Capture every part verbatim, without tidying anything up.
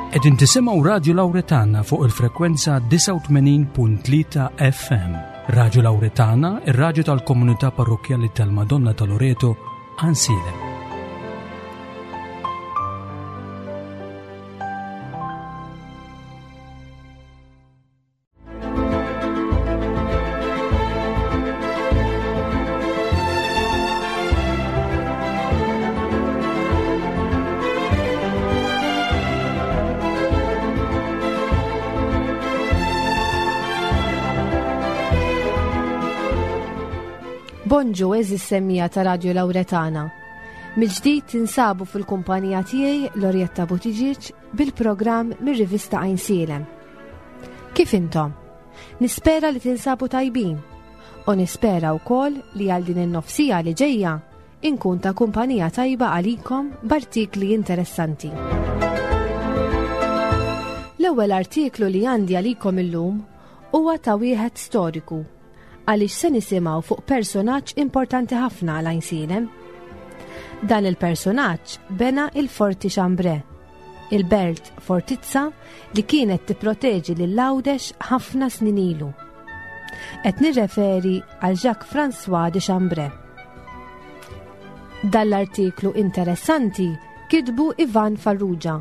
Qegħdin tisimgħu Radio Lauretana fuq il-frekwenza disgħa u tmenin punt tlieta F M. Radio Lauretana, ir-radju tal-komunità parrokkjali tal-Madonna ta' Loreto, Għajnsielem. Bonġu, għeżież semmiegħa ta' Radio Lauretana. Mill-ġdid tinsabu fil-kumpanija tiegħi, Lorietta Buttigieg, bil-programm mir-rivista Għajnsielem. Kif intom? Nispera li tinsabu tajbin u nispera wkoll li għal din in-nofs siegħa li ġejja inkun ta' kumpanija tajba għalikom b'artikli interessanti. L-ewwel artiklu li għandi għalikom illum huwa ta' wieħed storiku, għaliex se nisimgħu fuq personaġġ importanti ħafna għal Għajnsielem. Dan il-personaġġ bena il-Forti Chambray, il-belt fortizza li kienet tipproteġi lil Għawdex ħafna snin ilu. Qed nirreferi għal Jacques François de Chambray. Dan l-artiklu interessanti kitbu Ivan Farrugia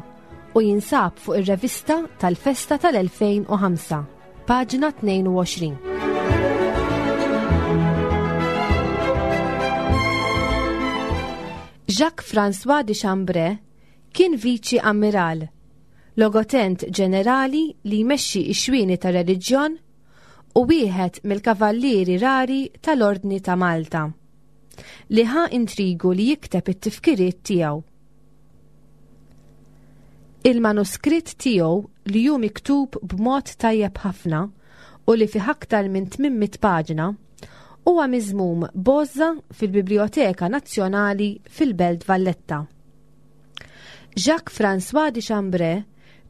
u jinsab fuq ir-revista tal-festa tal-elfejn u ħamsa, paġna tnejn u għoxrin. Jacques François de Chambray kien viċi ammiral, logotent ġenerali li jmexxi ix-xwieni ta' reliġjon u wieħed mill-kavallieri rari tal-Ordni ta' Malta, li ħa intrigu li jikteb it-tifkiriet tiegħu. Il-manuskritt tiegħu, li hu miktub b'mod tajjeb ħafna u li fih aktar minn tmien mitt paġna, huwa miżmum b'għożża fil-Biblioteka Nazzjonali fil-Belt Valletta. Jacques François de Chambray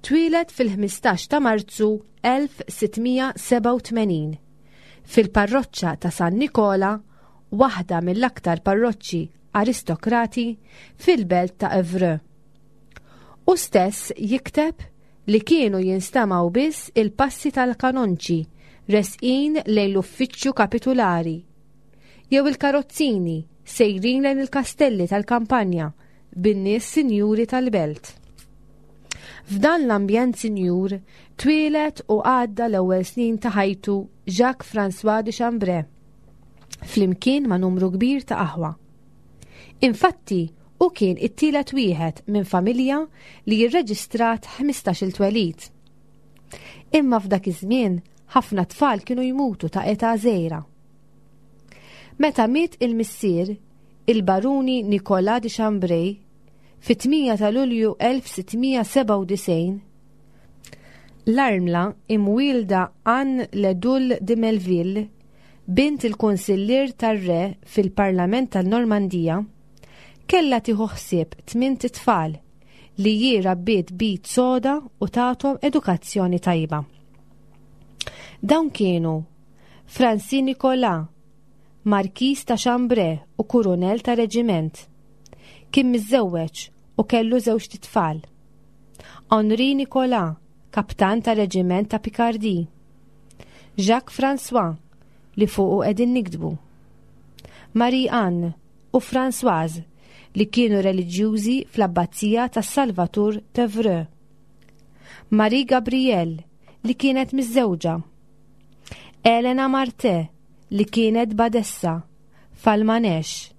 twieled fil-ħmistax ta' Marzu elf sitt mija sebgħa u tmenin fil-parroċċa ta' San Nikola, waħda mill-aktar parroċċi aristokrati fil-belt ta' Evreux. Hu stess jikteb li kienu jinstamaw biss il-passi tal-kanonċi resqin lejn l-uffiċċju kapitulari, jew il-karozzini sejrin lejn il-kastelli tal-kampanja bin-nies sinjuri tal-belt. F'dan l-ambjent sinjur twieled u għadda l-ewwel snin ta' ħajtu Jacques François de Chambray, flimkien ma' numru kbir ta' aħwa. Infatti, hu kien it-tielet wieħed minn familja li jirreġistrat ħmistax-il twelid. Imma f'dak iż-żmien ħafna tfal kienu jmutu ta' età żgħira. Meta miet il-missier, il-baruni Nicolas de Chambray, fit-tmienja ta' Lulju elf sitt mija sebgħa u disgħin, l-armla imwielda Anne Ledul de Melville, bint il-konsillier tar-re fil-Parlament tal-Normandija, kella tieħu ħsieb tmint itfal li hi rabbiet b'id soda u tathom edukazzjoni tajba. Dawn kienu Francis Nicolas, Markis ta' Chambray u kurunel ta' reġiment. Kien miżżewweġ u kellu żewġt itfal. Henri Nicolas, kaptan ta' reġiment ta' Picardi. Jacques François, li fuqu qegħdin niktbu. Marie Anne u Françoise, li kienu reliġjużi fl-abbazija ta' Salvatur t'Evreux. Marie Gabrielle, li kienet miżżewġa. Elena Marte, li kienet badessa f'Almanech,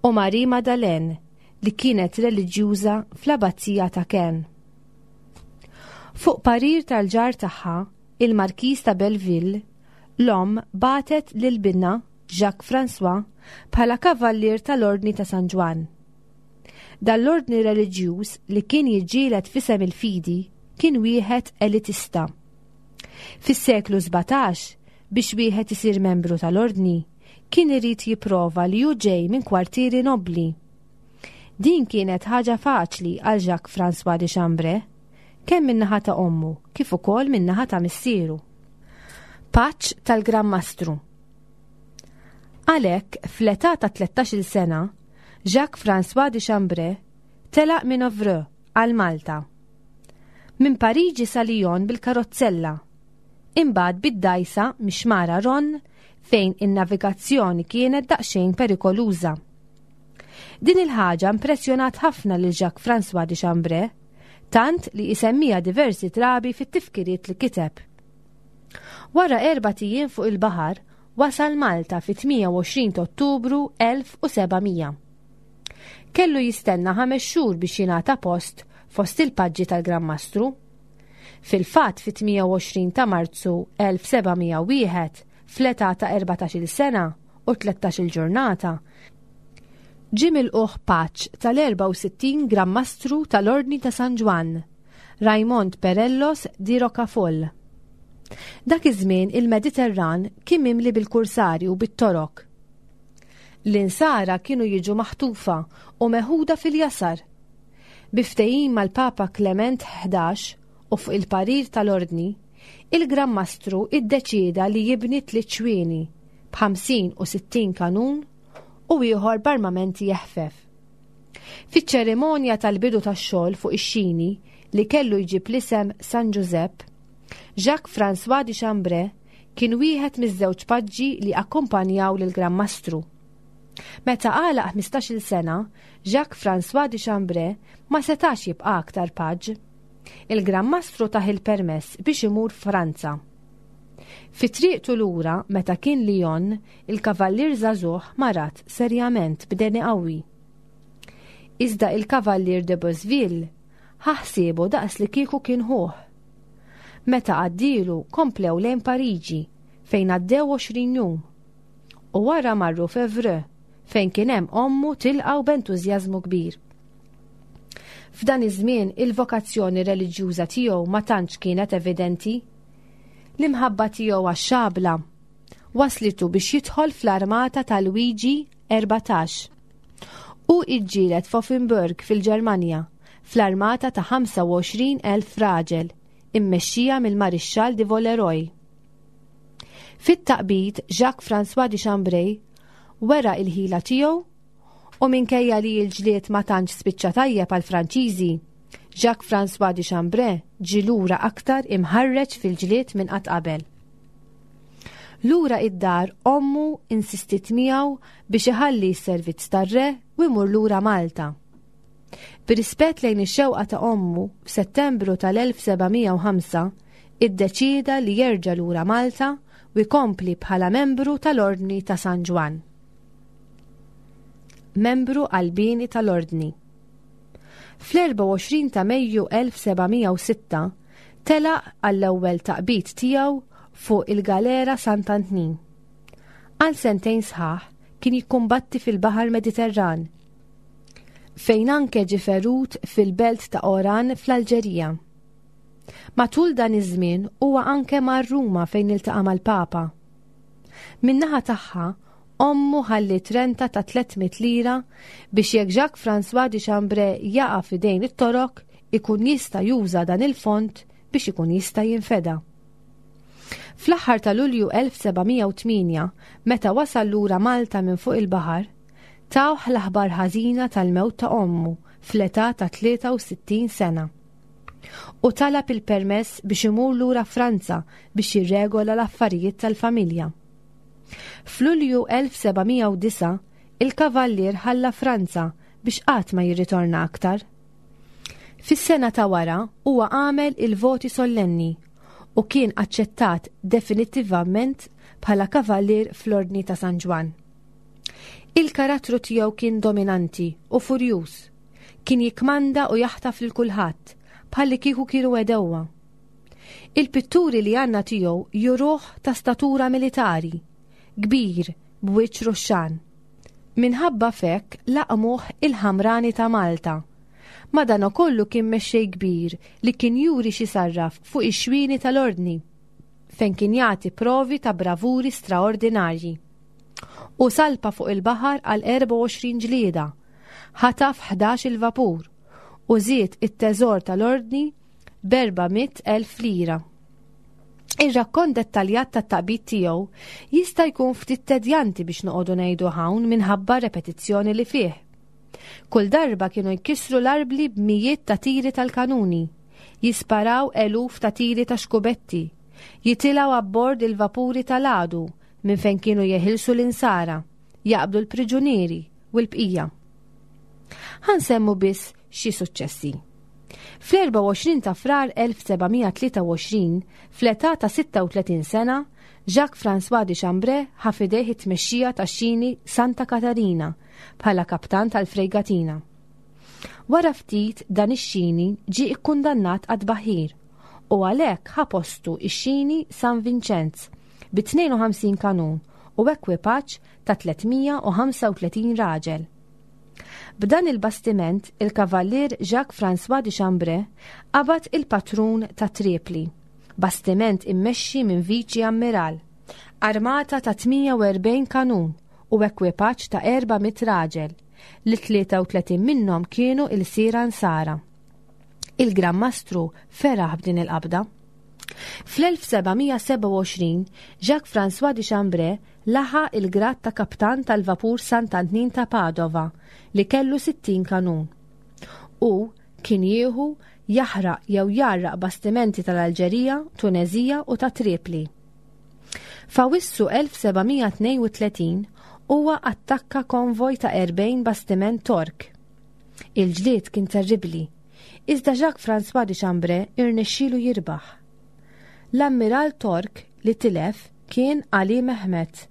u Marie Madeleine, li kienet reliġjuża fl-abbazija ta' Caen. Fuq parir tal-ġar tagħha, il-Markiż ta' Belleville, l-om bagħtet lil binha Jacques François bħala kavallier tal-Ordni ta' San Ġwann. Dan l-ordni reliġjuż li kien jiġġieled f'isem il-fidi kien wieħed elitista. Fis-seklu sbatax, biex wieħed isir membru tal-ordni, kien irid jipprova li hu ġej minn kwartieri nobli. Din kienet ħaġa faċli għal Jacques François de Chambray, kemm min-naħa ta' ommu kif ukoll min-naħa ta' missieru. Paġġ tal-Gran Mastru. Għalhekk, fl-età ta' tlettax-il sena, Jacques François de Chambray telaq minn Evreux għal Malta. Minn Pariġi sa Lyon bil-karozzella, imbagħad bid-dgħajsa mix-xmara Ron fejn in-navigazzjoni kienet daqsxejn perikoluża. Din il-ħaġa impressjonat ħafna lil Jacques François de Chambray, tant li isemmija diversi drabi fit-tifkiriet li kiteb. Wara erbat ijiem fuq il-baħar, wasal Malta fit-tmienja u għoxrin ta' Ottubru elf u seba' mija. Kellu jistenna ħames xhur biex jingħata post fost il-paġġi tal-Gran Mastru. Fil-fatt, fit-tmienja u għoxrin ta' Marzu elf u seba' mija u wieħed, fl-età ta' erbatax-il sena u tlettax-il ġurnata, ġie milqugħ paġġ tal-erbgħa u sittin Gran Mastru tal-Ordni ta' San Ġwann, Raymond Perellos di Rocafoll. Dak iż-żmien il-Mediterran kien mimli bil-kursari u bit-Torok. L-insara kienu jiġu maħtufa u meħuda fil-jasar. Bi ftehim mal-Papa Clement ħdax u fuq il-parir tal-Ordni, il-Gran Mastru iddeċieda li jibni tliet xwieni b'ħamsin u sittin kanun u ieħor b'armamenti eħfef. Fiċ-ċerimonja tal-bidu tax-xogħol fuq ix-xini li kellu jġib l-isem San Giuseppe, Jacques François de Chambray kien wieħed miż-żewġ paġġi li akkompanjaw lil Gran Mastru. Meta għalaq ħmistax-il sena, Jacques François de Chambray ma setax jibqa' aktar paġġ. Il-Gran Mastru tah il-permess biex imur Franza. Fi triqtu lura, meta kien Lyon, il-kavallier żagħżugħ marad serjament b'deni qawwi. Iżda il-kavallier de Bosville ħa ħsiebu daqs li kieku kien ħuh. Meta għaddilu, komplew lejn Pariġi fejn għaddew għoxrin jum. U wara marru f'Evreux fejn kien hemm ommu tilqgħu b'entużjażmu kbir. F'dan iż-żmien il-vokazzjoni reliġjuża tiegħu ma tantx kienet evidenti. L-imħabba tiegħu għax-xabla waslitu biex jidħol fl-armata ta' Lwiġi erbatax. U iġġieled f'Offenburg fil-Ġermanja fl-armata ta' ħamsa u għoxrin elf raġel immexxija mill-Marixxall di Villeroy. Fit-taqbid, Jacques François de Chambray wera il-ħila tiegħu u minkejja li l-ġlied ma tantx spiċċa tajjeb għal Franċiżi, Jacques François de Chambray ġie lura aktar imħarreġ fil-ġlied minn qatt qabel. Lura id-dar, ommu insistit miegħu biex iħalli s-servizz tar-re u jmur lura Malta. B'rispett lejn ix-xewqa ta' ommu, f'Settembru tal-elf seba' mija u ħamsa iddeċieda li jerġa' lura Malta u jkompli bħala membru tal-Ordni ta' San Ġwann. Membru qalbieni tal-Ordni. Fl-erbgħa u għoxrin ta' Mejju elf seba' mija u sitta telaq għall-ewwel taqbid tiegħu fuq il-Galera Sant'Antnin. Għal sentejn sħaħ kien jikkumbatti fil-Baħar Mediterran, fejn anke ġie ferut fil-belt ta' Oran fl-Alġerija. Matul dan iż-żmien huwa anke mar Ruma fejn iltaqa' mal-Papa. Min-naħa tagħha, ommu ħalliet renta ta' tliet mitt lira biex jekk Jacques François de Chambray jaqa' f'idejn it-Torok ikun jista' juża dan il-fond biex ikun jista' jinfeda. Fl-aħħar ta' Lulju elf seba' mija u tmienja, meta wasal lura Malta minn fuq il-baħar, tawh l-aħbar ħażina tal-mewt ta' ommu fl-età ta' tlieta u sittin sena. U talab il-permess biex imur lura Franza biex jirregola l-affarijiet tal-familja. F'Lulju elf seba' mija u disgħa il-kavallier ħalla Franza biex qatt ma jirritorna aktar. Fis-sena ta' wara huwa għamel il-voti sollenni u kien aċċettat definittivament bħala kavallier fl-Ordni ta' San Ġwann. Il-karattru tiegħu kien dominanti u furjuż. Kien jikmanda u jaħtaf lil kulħadd bħalli kieku kienu għedewwa. Il-pitturi li għandna tiegħu juruh ta' statura militari, kbir b'wiċċ ruxxan. Minħabba f'hekk laqmuh il-Ħamrani ta' Malta. Madanakollu kien mexxej kbir li kien juri x'jisarraf fuq ix-xwieni tal-Ordni, fejn kien jagħti provi ta' bravuri straordinarji. U salpa fuq il-baħar għal erbgħa u għoxrin ġlieda, ħataf ħdax il-vapur u żied it-teżor tal-Ordni b'erba' mitt elf lira. Ir-rakkont dettaljat tat-taqbid tiegħu jista' jkun ftit tedjanti biex noqogħdu ngħidu hawn minħabba repetizzjoni li fih. Kull darba kienu jkissru l-arbli b'mijiet ta' tiri tal-kanuni. Jisparaw eluf ta' tiri ta' xkubetti, jitilgħu abbord il-vapuri tal-għadu minn fejn kienu jeħilsu l-insara, jaqbdu l-priġunieri u l-bqija. Ħa nsemmu biss xi suċċessi. Fl-erbgħa u għoxrin ta' Frar elf seba' mija tlieta u għoxrin, fl-età ta' sitta u tletin sena, Jacques-François de Chambray ħa f'idejh it-tmexxija tax-xini Santa Katarina bħala kaptan tal-frejgatina. Wara ftit dan ix-xini ġie ikkundannat għad-tbaħħir u għalhekk ħa postu ix-xini San Vincenz bi tnejn u ħamsin kanun u ekwipaġġ ta' tliet mija u ħamsa u tletin raġel. B'dan il-bastiment, il-kavallier Jacques-François de Chambray qabad il-patrun ta' Tripli, bastiment immexxi minn viċi ammiral, armata ta' tmienja u erbgħin kanun u ekwipaġġ ta' erba' mitt raġel, li tlieta u tletin minnhom kienu il-sira nsara. Il-Gran Mastru feraħ b'din il-qabda. Fl-elf seba' mija seba' u għoxrin, Jacques-François de Chambray laħaq il-grad ta' kaptan tal-vapur Sant'Antnin ta' Padova li kellu sittin kanun. U kien jieħu jaħraq jew jarraq bastimenti tal-Alġerija, Tunezija u ta' Tripli. F'Awwissu elf seba' mija tnejn u tletin huwa attakka konvoj ta' erbgħin bastiment Tork. Il-ġlied kien terribli, iżda Jacques-François de Chambray irnexxielu jirbaħ. L-ammiral Tork li tilef kien Ali Mehmet,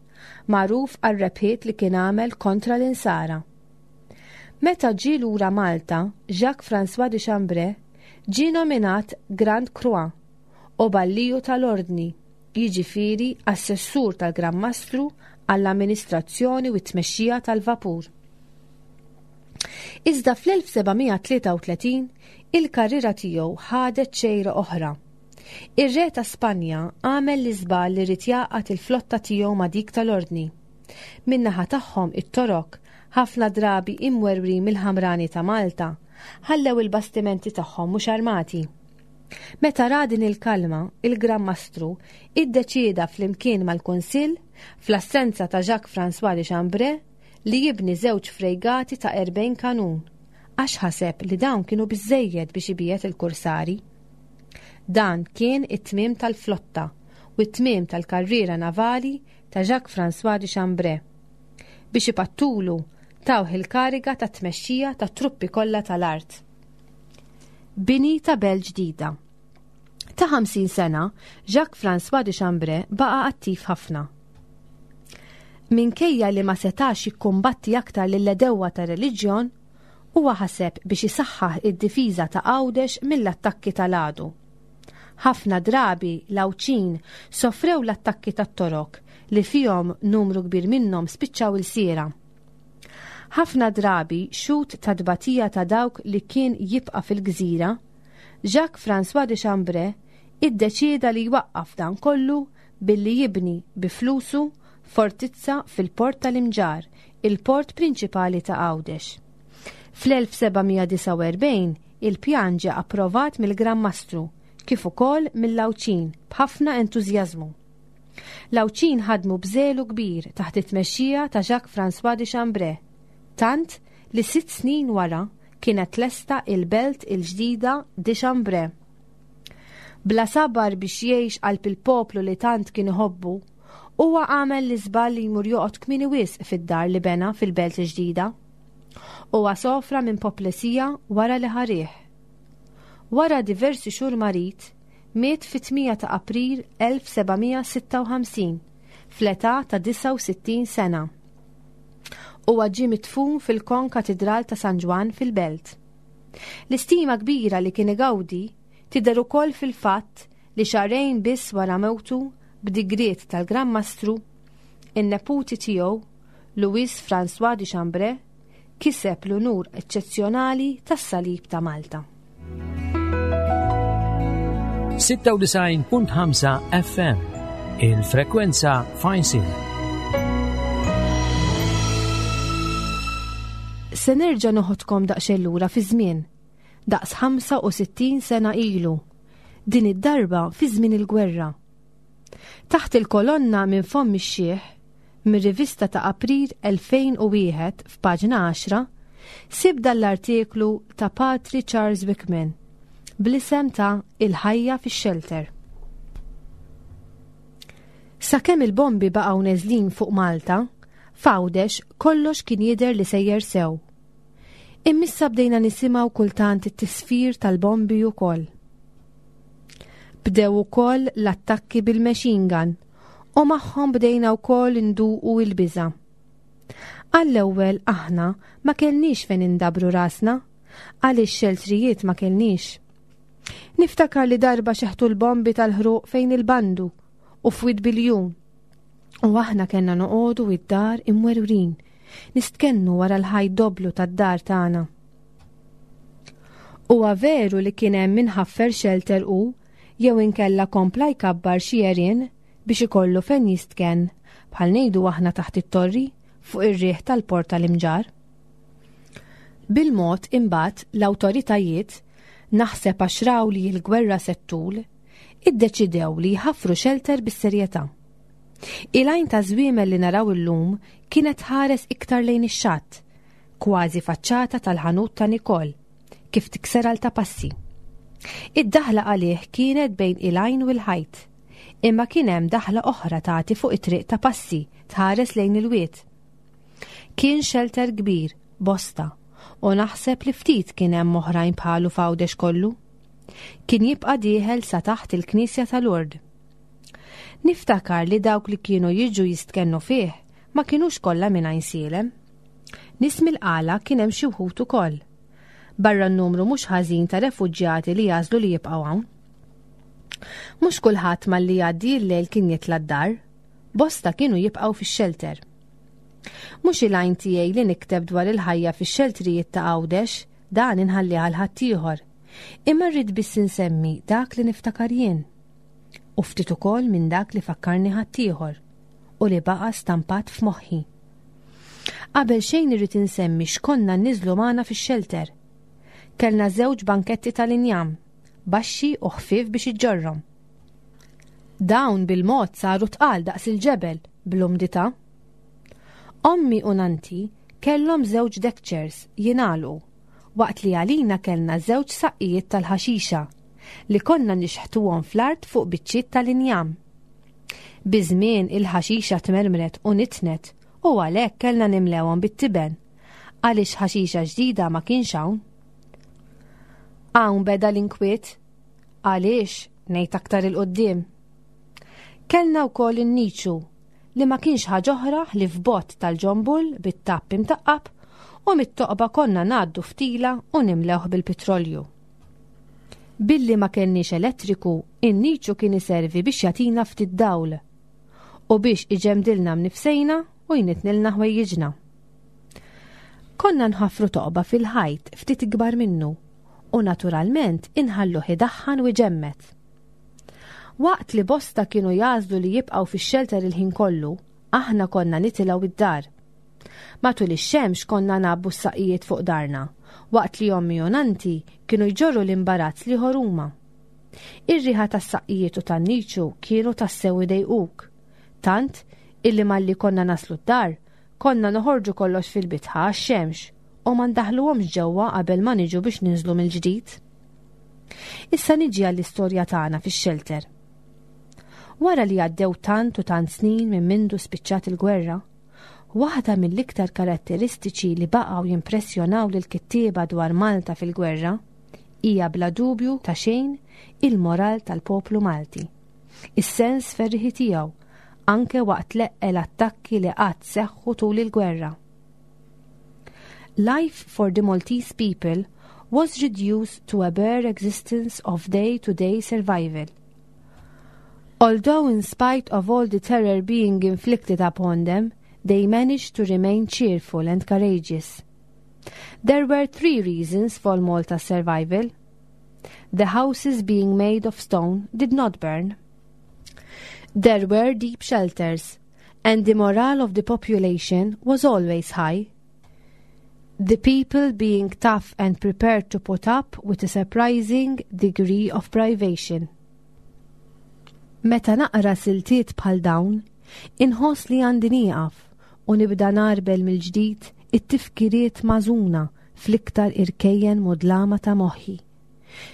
magħruf għar-rebħiet li kien għamel kontra l-insara. Meta ġie lura Malta, Jacques-François de Chambray ġie nominat Grand Croix u Balliju tal-Ordni, jiġifieri assessur tal-Gran Mastru għall-amministrazzjoni u t-tmexxija tal-vapur. Iżda fl-elf seba' mija tlieta u tletin il-karriera tiegħu ħadet xejra oħra. Ir-re ta' Spanja għamel l-iżball li ried jgħaqqad il-flotta tiegħu ma' dik tal-Ordni. Min-naħa tagħhom it-Torok, ħafna drabi imwerwrin mill-ħamrani ta' Malta, ħallew il-bastimenti tagħhom mhux armati. Meta ra din il-kalma, il-Gran Mastru iddeċieda flimkien mal-Kunsill, fl-assenza ta' Jacques-François de Chambray, li jibni żewġ frejgati ta' erbgħin kanun, għax ħaseb li dawn kienu biżżejjed biex ibiet il-kursari. Dan kien it-tmiem tal-flotta u t-tmiem tal-karriera navali ta' Jacques-François de Chambray. Biex ipattulu tawh il-kariga ta' tmexxija ta' truppi kollha tal-art. Bini ta' belt ġdida. Ta' ħamsin sena, Jacques-François de Chambray baqa' attiv ħafna. Minkejja li ma setax jikkumbatti aktar lill-edewwa ta' reliġjon, huwa ħaseb biex isaħħaħ id-difiża ta' Għawdex mill-attakki tal-għadu. Ħafna drabi l-Għawdxin sofrew l-attakki tat-Torok li fihom numru kbir minnhom spiċċaw il-siera. Ħafna drabi xhud ta' tbatija ta' dawk li kien jibqa' fil-gżira, Jacques-François de Chambray iddeċieda li jwaqqaf dan kollu billi jibni bi flusu fortizza fil-port tal-Imġarr, il-port prinċipali ta' Għawdex. Fl-elf seba' mija disgħa u erbgħin il-pjan ġie approvat mill-Gran Mastru kif ukoll mill-Għawdxin b'ħafna entużjażmu. L-Għawdxin ħadmu b'żelu kbir taħt it-tmexxija ta' Jacques-François de Chambray, tant li sitt snin wara kienet lesta il-belt il-ġdida de Chambray. Bla sabar biex jgħix qalb il-poplu li tant kien iħobbu, huwa għamel l-iżball li jmur joqgħod kmieni wisq fid-dar li bena fil-belt il-ġdida. Huwa sofra minn poplesija wara li ħarih. Wara diversi xhur marid, miet fit-tmienja ta' April elf seba' mija sitta u ħamsin, fl-età ta' disgħa u sittin sena. Huwa ġie midfun fil-Kon Katidral ta' San Ġwann fil-Belt. L-istima kbira li kien igawdi tidher ukoll fil-fatt li xahrejn biss wara mewtu b'digriet tal-Gran Mastru, in-neputi tiegħu, Louis François de Chambray, kiseb l-unur eċċezzjonali tas-Salib ta' Malta. Sitta u disgħin punt ħamsa F M, il-frekwenza Fajnsil. Se nerġa' noħodkom daqsxejn lura fi żmien, daqs ħamsa u sittin sena ilu, din id-darba fi żmien il-gwerra. Taħt il-kolonna minn fomm ix-xiħ, mir-rivista ta' April elfejn u wieħed f'paġna għaxra, sib dan l-artiklu ta' Patri Charles Wickman, bl-isem ta' Il-ħajja fix-xelter. Sakemm il-bombi baqgħu neżlin fuq Malta, f'Għawdex kollox kien jidher li sejjer sew. Imma issa bdejna nisimgħu kultant it-tisfir tal-bombi ukoll. Bdew ukoll l-attakki bil-machine gun u magħhom bdejna wkoll induqu il-biża. Għall-ewwel aħna ma kellniex fejn indabru rasna, għaliex xeltrijiet ma kellniex. Niftakar li darba xeħtu l-bombi tal-ħruq fejn il-bandu u f'Wied Biljun. U aħna kellna noqogħdu id-dar imwerwrin, nistkennu wara l-ħajt doblu tad-dar tagħna. Huwa veru li kien hemm min ħaffer shelter u jew inkella kompla jkabbar xi għerien biex ikollu fejn jistken bħal ngħidu aħna taħt it-torri fuq ir-riħ tal-port tal-Imġarr. Bil-mod imbagħad l-awtoritajiet naħseb għax raw li l-gwerra se ttul, iddeċidew li jħaffru shelter bis-serjetà. Il-għajn ta' żwiemel li naraw illum kienet ħares iktar lejn ix-xatt, kważi faċċata tal-ħanut ta' Nikol, kif tikser għal ta' passi. Id-daħla għalih kienet bejn il-għajn u l-ħajt, imma kien hemm daħla oħra tagħti fuq it-triq ta' passi tħares lejn il-wied. Kien shelter kbir, bosta, u naħseb li ftit kien hemm oħrajn bħalu f'Għawdex kollu. Kien jibqa' dieħel sa taħt il-Knisja tal-Ord. Niftakar li dawk li kienu jiġu jistkennu fih ma kienux kollha minn Għajnsielem. Nies mill-Qala kien hemm xi wħud ukoll. Barra n-numru mhux ħażin ta' refuġjati li jagħżlu li jibqgħu hawn. Mhux kulħadd malli jgħaddi l-lejl kien jitla' d-dar, bosta kienu jibqgħu fix-shelter. Mhux il-għajn tiegħi li nikteb dwar il-ħajja fix-xeltrijiet ta' Għawdex, dan inħalli għal ħaddieħor. Imma rrid biss insemmi dak li niftakar jien. U ftit ukoll minn dak li fakkarni ħaddieħor u li baqa' stampat f'moħħi. Qabel xejn irrid insemmi x'konna nniżlu magħna fix-shelter. Kellna żewġ banketti tal-injam, baxxi u ħfief biex iġġorrhom. Dawn bil-mod saru tqal daqs il-ġebel bl-umdità. Ommi u nanti kellhom żewġ deck chairs jingħalqu waqt li għalina kellna żewġ saqqijiet tal-ħaxixa li konna nixħtuhom fl-art fuq biċċiet tal-injam. Biż-żmien il-ħaxixa tmermret u nitnet u għalhekk kellna nimlewhom bit-tiben għaliex ħaxixa ġdida ma kienx hawn. Hawn beda l-inkwiet għaliex ngħid aktar 'il quddiem. Kellna wkoll in-niċu li ma kienx ħaġa oħra ħlief bott tal-ġombul bit-tapp imtaqqab u mit-toqba konna ngħaddu ftila u nimlewh bil-petrolju. Billi ma kellniex elettriku, in-niċu kien iservi biex jagħtina ftit dawl u biex iġemdilna mnifsejna u jnitnilna ħwejjiġna. Konna nħafru toqba fil-ħajt ftit ikbar minnu u naturalment inħalluh idaħħan u iġemmed. Waqt li bosta kienu jagħżlu li jibqgħu fix-xelter il-ħin kollu, aħna konna nitilgħu id-dar. Matul ix-xemx konna ngħabbu s-saqijiet fuq darna, waqt li ommi u nanti kienu jġorru l-imbarazz l-ieħor huma. Ir-riħa tas-saqqijiet u tan-niċu kienu tassew idejquk. Tant illi malli konna naslu d-dar, konna noħorġu kollox fil-bitħa għax-xemx u ma ndaħluhomx ġewwa qabel ma niġu biex ninżlu mill-ġdid. Issa niġi għall-istorja tagħna fix-xelter. Wara li għaddew tant u tant snin minn mindu spiċċat il-gwerra, waħda mill-iktar karatteristiċi li baqgħu jimpressjonaw lil kittieba dwar Malta fil-gwerra hija bla dubju ta' xejn il-moral tal-poplu Malti. Is-sens ferriħi tiegħu anke waqt l-eqqel attakki li qatt seħħu tul il-gwerra. Life for the Maltese people was reduced to a bare existence of day-to-day survival. Although in spite of all the terror being inflicted upon them, they managed to remain cheerful and courageous. There were three reasons for Malta's survival. The houses being made of stone did not burn. There were deep shelters, and the morale of the population was always high. The people being tough and prepared to put up with a surprising degree of privation. Meta naqra siltiet bħal dawn, inħoss li għandi nieqaf u nibda ngħarbel mill-ġdid it-tifkiriet mażuna fl-iktar irkejjen mudlama ta' moħħi.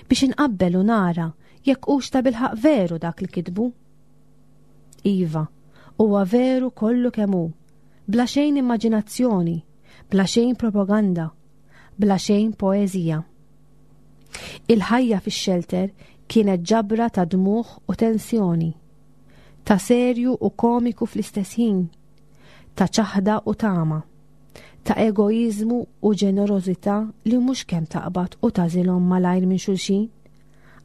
Biex inqabbel u nara jekk hux ta' bilħaq veru dak li kitbu. Iva, huwa veru kollu kemm hu, bla xejn immaġinazzjoni, bla xejn propaganda, bla xejn poeżija. Il-ħajja fix-xelter kienet ġabra ta' dmuħ u tensjoni, ta' serju u komiku fl-istess ħin, ta' ċaħda u tama, ta' egoizmu u ġenerożità li mhux kemm taqbad u tażilhom malajr minn xulxin,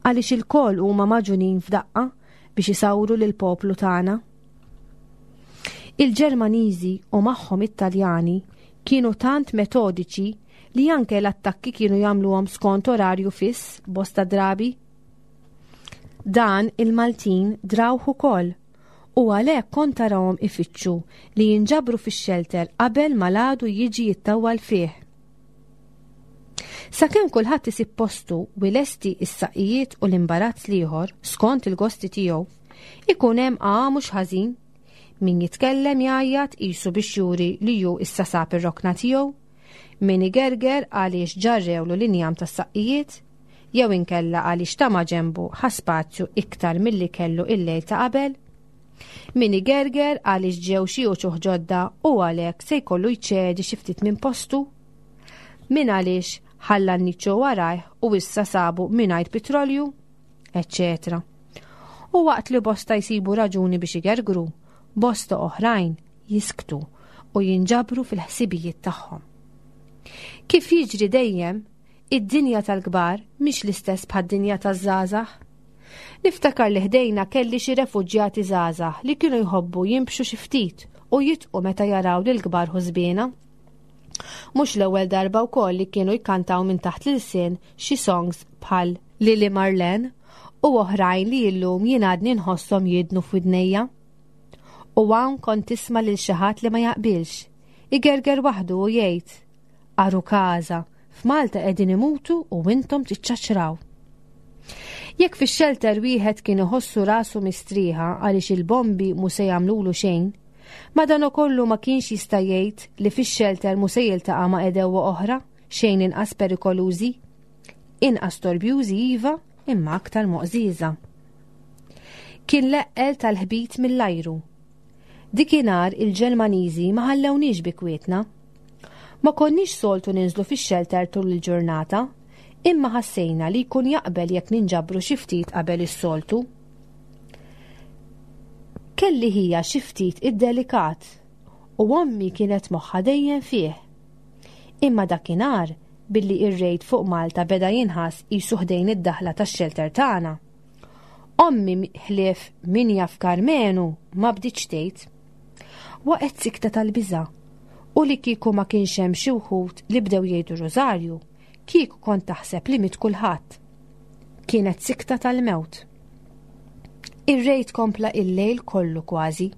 għaliex il-koll huma maġunin f'daqqa biex isawru lil poplu tagħna. Il-Ġermaniżi u magħhom it-Taljani kienu tant metodiċi li anke l-attakki kienu jagħmluhom skont orarju fiss bosta drabi. Dan il-Maltin drawh ukoll u għalhekk kont tarahom ifittxu li jinġabru fix-xelter qabel ma l-għadu jiġi jittawwal fih. Sakemm kulħadd isib postu u lesti is-saqqijiet u l-imbarazz l-ieħor skont il-gosti tiegħu, ikun hemm għagħa mhux ħażin. Min jitkellem jgħajjat qisu biex juri li hu issa sab ir-rokna tiegħu, min igerger għaliex ġarrewlu l-injam tas-saqqijiet, jew inkella għaliex ta' maġenbu ħa spazju iktar milli kellu il-lejl ta' qabel. Min igerger għaliex ġew xi uċuħ ġodda u għalhekk se jkollu jċedi xi ftit minn postu. Min għaliex ħalla n-niċċu warajh u issa sabu mingħajr petrolju, eċċetera. U waqt li bosta jsibu raġuni biex igergru, bosta oħrajn jisktu u jinġabru fil-ħsibijiet tagħhom. Kif jiġri dejjem, id-dinja tal-kbar mhix l-istess bħad-dinja taż-żgħażagħ. Niftakar li ħdejna kelli xi refuġjati żgħażagħ li kienu jħobbu jimbxu xi ftit u jitqu meta jaraw lil kbar ħużbiena. Mhux l-ewwel darba wkoll li kienu jkantaw minn taħt l-ilsien xi songs bħal Lili Marlene u oħrajn li illum jien għadni nħosshom jidnu f'widnejja. U hawn kont tisma' lil xi ħadd li ma jaqbilx, igerger waħdu u jgħid: Aru każa, f'Malta qegħdin imutu u intom tiċċaċraw. Jekk fix-xelter wieħed kien iħossu rasu mistrieħa għaliex il-bombi mhu se jagħmlulu xejn, madankollu ma kienx jista' jgħid li fix-xelter mhu se jiltaqa' ma' għedewwa oħra xejn inqas perikolużi, inqas torbjużi iva, imma aktar moqżieża. Kien l-eqqel tal-ħbit mill-ajru. Dikinhar il-Ġermaniżi ma ħallewniex bi kwietna. Ma konniex soltu ninżlu fix-xelter tul il-ġurnata, imma ħassejna li jkun jaqbel jekk ninġabru xi ftit qabel is-soltu. Kelli ħija xi ftit iddelikat u ommi kienet moħħa dejjem fih. Imma dakinhar billi ir-rejd fuq Malta beda jinħass qisu ħdejn id-daħla tax-xelter tagħna. Ommi ħlief min jaf Karmenu ma bdietx tgħid. Waqgħet sikta tal-biża' u li kieku ma kienx hemm xi wħud li bdew jgħidu Rożarju, kieku kont taħseb li miet kulħadd. Kienet sikta tal-mewt. Ir-rejt kompla il-lejl kollu kważi.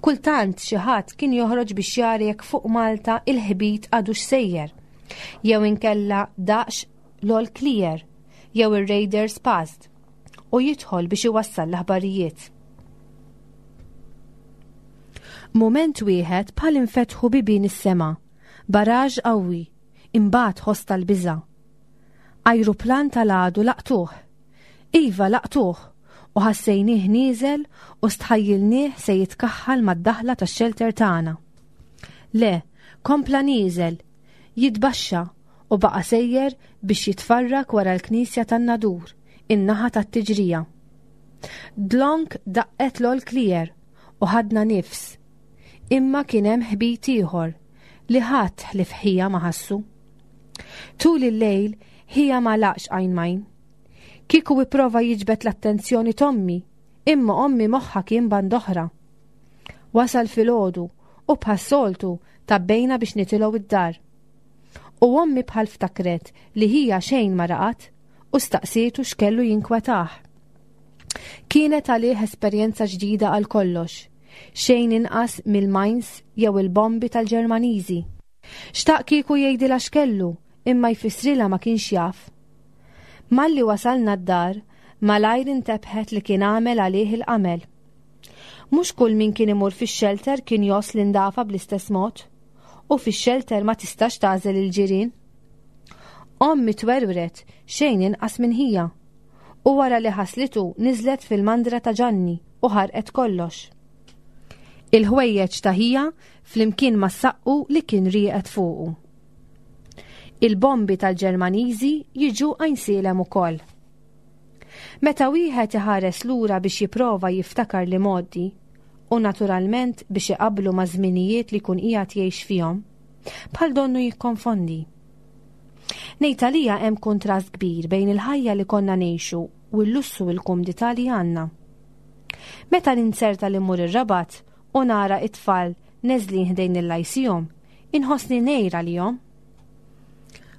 Kultant xi ħadd kien joħroġ biex jara jekk fuq Malta il-ħbit għadux sejjer, jew inkella daqx l-all clear, jew ir-Raiders passed, u jidħol biex iwassal l-aħbarijiet. Mument wieħed bħal infetħu bibien is-sema, baraġ qawwi, imbagħad ħoss tal-biża'. Ajruplan tal-għadu laqtuh. Iva laqtuh, u ħassejnieh nieżel u stħajjilnieh se jitkaħħal mad-daħla tax-xelter tagħna. Le, kompla nieżel, jitbaxxa u baqa' sejjer biex jitfarrak wara l-knisja tan-Nadur, in-naħa tat-tiġrija. Dlonk daqqet l-all clear u ħadna nifs, imma kien hemm ħbit ieħor li ħadd ħlief ħija ma ħassu. Tul il-lejl ħija ma laqx għajn majn. Kieku ipprova jiġbed l-attenzjoni t'ommi, imma ommi moħħa kien band oħra. Wasal filgħodu u bħas-soltu tabbejna biex nitilgħu id-dar. U ommi bħal ftakret li ħija xejn ma raqat u staqsietu x'kellu jinkwetah. Kienet għalih esperjenza ġdida għal kollox, xejn inqas mill-mines jew il-bombi tal-Ġermaniżi. Xtaq kieku jgħidilha x'kellu, imma jfissrilha ma kienx jaf. Malli wasalna d-dar, malajr intebħet li kien għamel għalih il-qamel. Mhux kull min kien imur fix-xelter kien jos l-indafa bl-istess mod, u fix-xelter ma tistax tagħżel il-ġirien. Ommi twerwret xejn inqas minn ħija u wara li ħaslitu niżlet fil-mandra ta' Ġanni u ħarqet kollox. Il-ħwejjeġ ta' ħija flimkien mas-saqqu li kien rieqed fuqu. Il-bombi tal-Ġermaniżi jiġu Għajnsielem ukoll. Meta wieħed iħares lura biex jipprova jiftakar l-imgħoddi u naturalment biex iqabblu ma' żminijiet li jkun qiegħed jgħix fihom, bħal donnu jikkonfondi. Ngħid għalija hemm kontrast kbir bejn il-ħajja li konna ngħixu u l-lussu u l-kumdità li għandna. Meta ninzerta li mmur ir-Rabat u nara it-tfal neżlin ħdejn il-Lyceum, inħossni ngħir għalihom.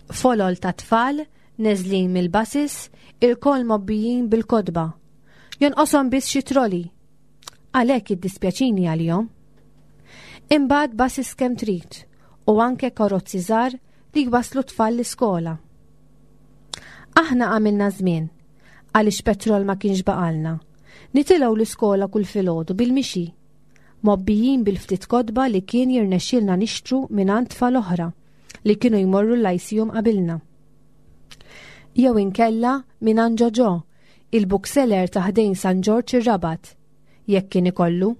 Folol ta' tfal neżlin mill-buses, ilkoll mgħobbijin bil-kotba. Jonqoshom biss xi trolley. Għalhekk iddispjaċini għalihom. Imbagħad buses kemm trid u anke karozzi żgħar li jwaslu tfal l-iskola. Aħna għamilna żmien għaliex petrol ma kienx baqalna. Nitilgħu l-iskola kull filgħodu bil-mixi, mgħobbijin bil-ftit kotba li kien jirnexxielna nixtru mingħand tfal oħra li kienu jmorru l-Lyceum qabilna. Jew inkella mingħand Ġoġo, il-bookseller ta' ħdejn San Ġorġ ir-Rabat, jekk kien ikollu.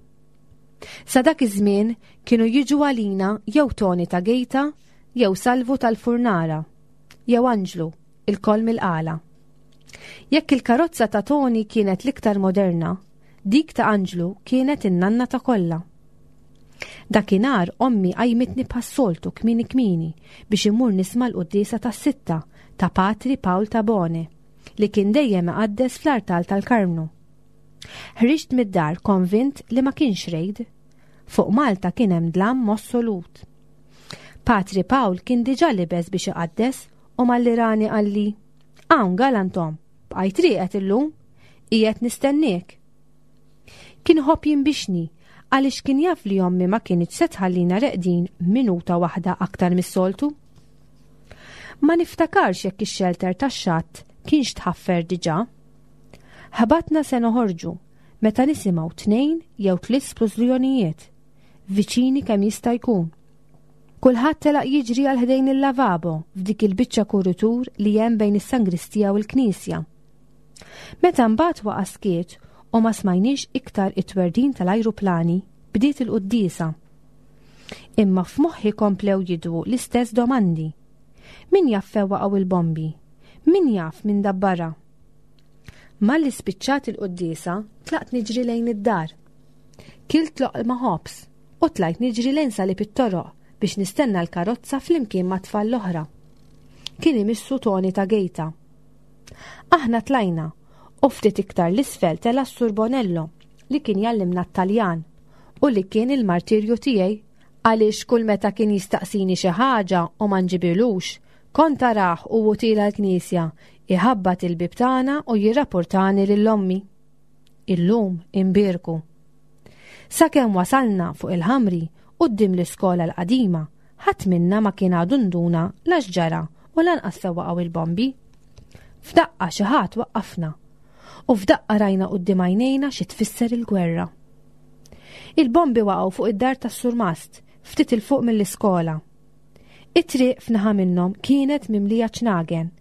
Sa dak iż-żmien kienu jiġu għalina jew Toni ta' Gejta, jew Salvu tal-Furnara, jew Anġlu, ilkoll mill-Qala. Jekk il-karozza ta' Toni kienet l-iktar moderna, dik ta' Anġlu kienet in-nanna ta' kollha. Dakinhar ommi qajmitni bħas-soltu kmieni kmieni biex imur nisma' l-quddiesa tas-sitta ta' Patri Pawl Tabone li kien dejjem iqaddes fl-artal tal-Karmnu. Ħriġt mid-dar konvint li ma kienx rejd. Fuq Malta kien hemm dlam assolut. Patri Pawl kien diġà libes biex iqaddes u malli rani qalli, Hawn galantom, bqajt rieqed illum, qiegħed nistenniek. Kien iħobb jinbixni għaliex kien jaf li ommi ma kinitx se tħallina reqdin minuta waħda aktar mis-soltu. Ma niftakarx jekk ix-xelter tax-xatt kienx tħaffer diġà. Ħabatna se noħorġu meta nisimgħu tnejn jew tliet splużjonijiet, viċini kemm jista' jkun. Kulħadd telaq jiġri għal ħdejn il-lavabo f'dik il-biċċa kuritur li hemm bejn is-sangristija u l-knisja. Meta mbagħad waqa' skiet u ma smajniex iktar it-twerdin tal-ajruplani, bdiet il-quddiesa. Imma f'moħħi komplew jidwu l-istess domandi. Min jaf fejn waqgħu il-bombi? Min jaf min dabbarha? Malli spiċċat il-quddiesa, tlaqt niġri lejn id-dar. Kilt loqma ħobż u tlajt niġri lejn salib it-toroq biex nistenna l-karozza flimkien ma' tfal l-oħra. Kien imissu Toni ta' Gejta. Aħna tlajna u ftit iktar l-isfel tela' s-Sur Bonello li kien jallimna t-Taljan u li kien il-martirju tiegħi għaliex kull meta kien jistaqsini xi ħaġa u ma nġibilux, kont arah u hu tiela' l-knisja iħabbat il-bib tagħna u jirrapportani lil ommi. Illum imbierku. Sakemm wasalna fuq il-ħamri quddiem l-iskola l-qadima, ħadd minna ma kien għadu nduna la x'ġara u lanqas fejn waqgħu il-bombi. F'daqqa xi ħadd waqqafna u f'daqqa rajna quddiem għajnejna xi tfisser il-gwerra. Il-bombi waqgħu fuq id-dar tas-Surmast, ftit 'il fuq mill-iskola. It-triq f'naħa minnhom kienet mimlija ċnagen.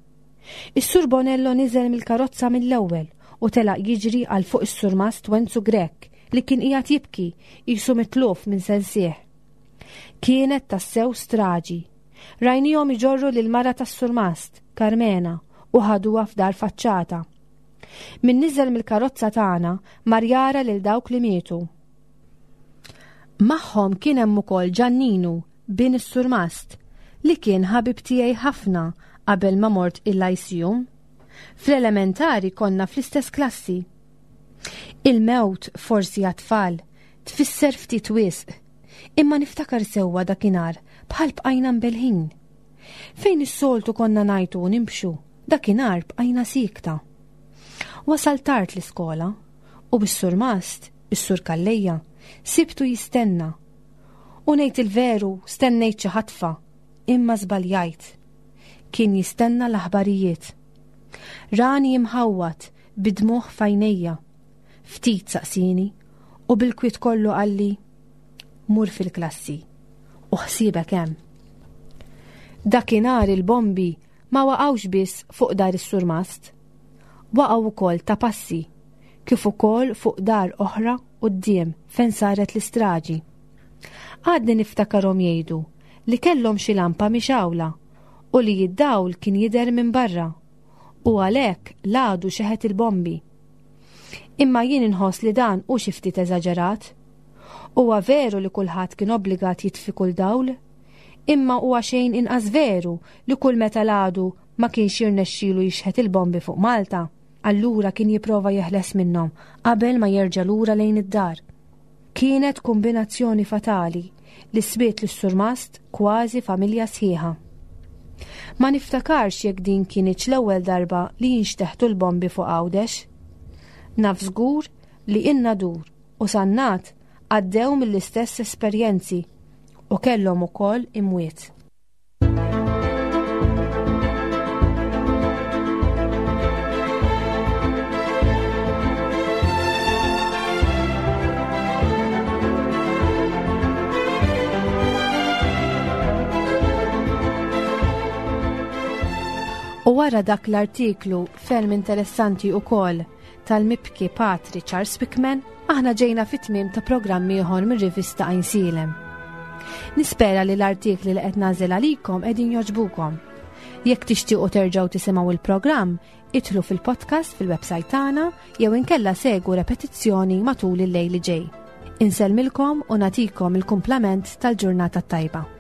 Is-Sur Bonello niżel mill-karozza mill-ewwel u telaq jiġri għal fuq is-Surmast Wenzu Grech li kien qiegħed jibki qisu mitluf minn sensih. Kienet tassew straġi. Rajnihom iġorru lil mara tas-Surmast, Carmena, u ħaduha f'dar faċċata. Min niżel mill-karozza tagħna mar jara lil dawk li mietu. Magħhom kien hemm ukoll Ġanninu, bin is-Surmast, li kien ħabib tiegħi ħafna qabel ma mort il-Lyceum. Fl-elementari konna fl-istess klassi. Il-mewt forsi għat-tfal tfisser ftit wisq, imma niftakar sewwa dakinhar bħal bqajna mbelħin. Fejn is-soltu konna ngħajtu u nimxu, dakinhar bqajna siekta. Wasal tard l-iskola u bis-surmast, is-sur Calleja, sibtu jistenna. U ngħid il-veru stennejt xi ħatfa, imma żbaljajt. Kien jistenna l-aħbarijiet. Rani imħawwad bid-dmugħ f'għajnejja. Ftit saqsini u bil-kwiet kollu qalli, mur fil-klassi u ħsiebek hemm. Dakinhar il-bombi ma waqgħux biss fuq dar is-surmast. Waqgħu wkoll ta' passi, kif ukoll fuq dar oħra quddiem fejn saret l-istraġi. Għadni niftakarhom jgħidu li kellhom xi lampa mixgħula u li d-dawl kien jidher minn barra u għalhekk l-għadu xeħet il-bombi. Imma jien inħoss li dan hu xi ftit eżaġerat. Huwa veru li kulħadd kien obbligat jitfi kull dawl, imma huwa xejn inqas veru li kull meta l-għadu ma kienx jirnexxilu jixħet il-bombi fuq Malta, allura kien jipprova jeħles minnhom qabel ma jerġa' lura lejn id-dar. Kienet kombinazzjoni fatali li swiet lis-surmast kważi familja sħiħa. Ma niftakarx jekk din kinitx l-ewwel darba li jinxteħtu l-bombi fuq Għawdex. Naf żgur li in-Nadur u Sannat għaddew mill-istess esperjenzi u kellhom ukoll imwiet. U wara dak l-artiklu ferm interessanti ukoll tal-mibki Patri Charles Wickman, aħna ġejna fit-tmiem ta' programm ieħor mir-rivista Għajnsielem. Nispera li l-artikli li qed nagħżel għalikom qegħdin jogħġbukom. Jekk tixtiequ terġgħu tisimgħu il-programm, idħlu fil-podcast fil-website tagħna jew inkella segwu repetizzjoni matul il-lejl li ġej. Insellmilkom u nagħtikom il-kumplament tal-ġurnata tajba.